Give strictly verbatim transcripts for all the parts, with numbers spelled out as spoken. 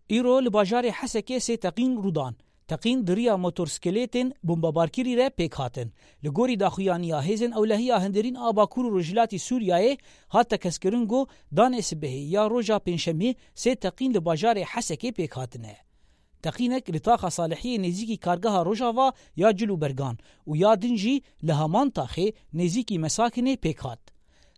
Îro li bajarê Hesekê sê teqîn rû dan. Teqîn di riya motorskelêtên bombebarkirî re pêk hatin. Li gorî daxuyaniya hêzên ewlehiya hundirîn a Bakur û Rojhilatî Sûriyeyê hat tekez kirin ku danê sibehê ya roja Pêncşemê sê teqîn li bajarê Hesekê pêk hatine. Teqînek li taxa Salihiyê nêzîkî kargeha Rojava ya Cil û Bergan û ya din jî li heman taxê nêzîkî Mesakinê pêk hat.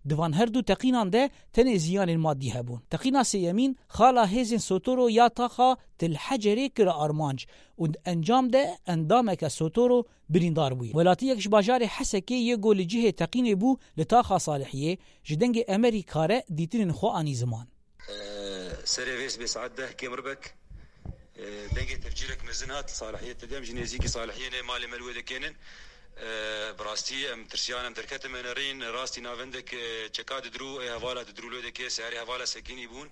Di van her du teqînan de tenê ziyanên madî hebûn. Teqîna sêyemîn xala hêzên Sotoro ya taxa Til Hecerê kir armanc û di encam de endameke Sotoro birîndar bûye. Welatiyek ji bajarê Hesekê yê ku li cihê teqînê bû li taxa Salihiyê, ji Dengê Emerîka re dîtinên xwe anî ziman. Serê vê sibê saet deh kêm ribek, e, dengê tevcîrek mezin hat li Salihiyê. Te dem ji nêzîkî Salihiyê ne malê me li wê dekênin. E, bi rastî em tirsiyan, em derketin me nerîn. Rastî navendek, e, çeka didirû, ê hevala didirû li wê dekê, seyarê hevala sekinî bûn.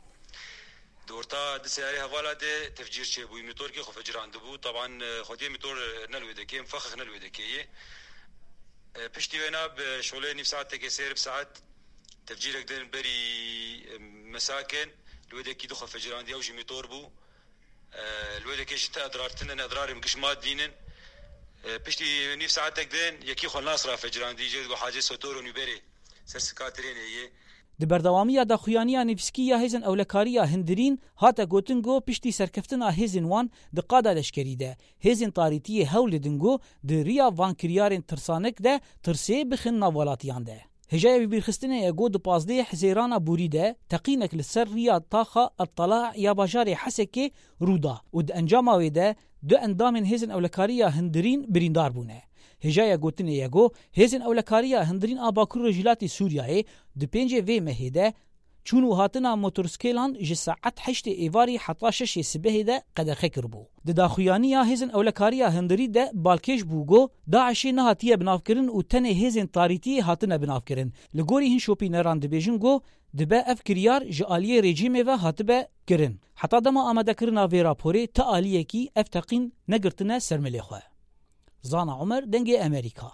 Di orta di seyarê hevala de tevcîr çêbûyî. Mîtorkê xwe fecirandibû. Taban, e, xwediyê mîtor, e, ne li wê dekê, mifexix ne li wê dekê ye. E, piştî wêna bi şolê nîv saetekê sê rib saet tevcîrek din berî, e, Mesakin, li wê dekî du xwe fecirandî, ew jî mîtor bû. E, li wê dekê jî ti edrar tune ne, edrarên giş madî nin. E, piştî nîv saetek din yekî xwe nas ra fecirandî, jê digo Hacê Sotor û Nûberê ser sika trênê yê. Di berdewamiya daxuyaniya nivîskî ya hêzên ewlekariya hundirîn hate gotin ku piştî serkeftina hêzên wan di qada leşkerî de, hêzên tarîtiyê hewl didin ku di riya van kiryarên tirsanek de tirsê bixin nav welatiyan de. Hêjaya bîrxistinê ye ku di pazdehê Hizêrana borî de teqînek li ser riya taxa El Tala ya bajarê Hesekê rû da û di encama wê de du endamên hêzên ewlekariya hundirîn birîndar bûne. Hêjaya gotinê ye ku hêzên ewlekariya hundirîn a Bakur Rojhilatî Sûriyeyê di pêncê vê mehê de çûn û hatina motorsîkêlan ji saet heştê êvarî heta şeşê sibehê de qedexe kiribû. Di daxuyaniya hêzên ewlekariya hundirî de balkêş bû ku DAIŞê nehatiye binavkirin û tenê hêzên tarîtiyê hatine binavkirin. Li gorî hin şopîneran dibêjin ku dibe ev kiryar ji aliyê rejîmê ve hatibe kirin. Heta dema amadekirina vê raporê ti aliyekî ev teqîn negirtine ser milê xwe. Zana Omer, Dengê Emerîka.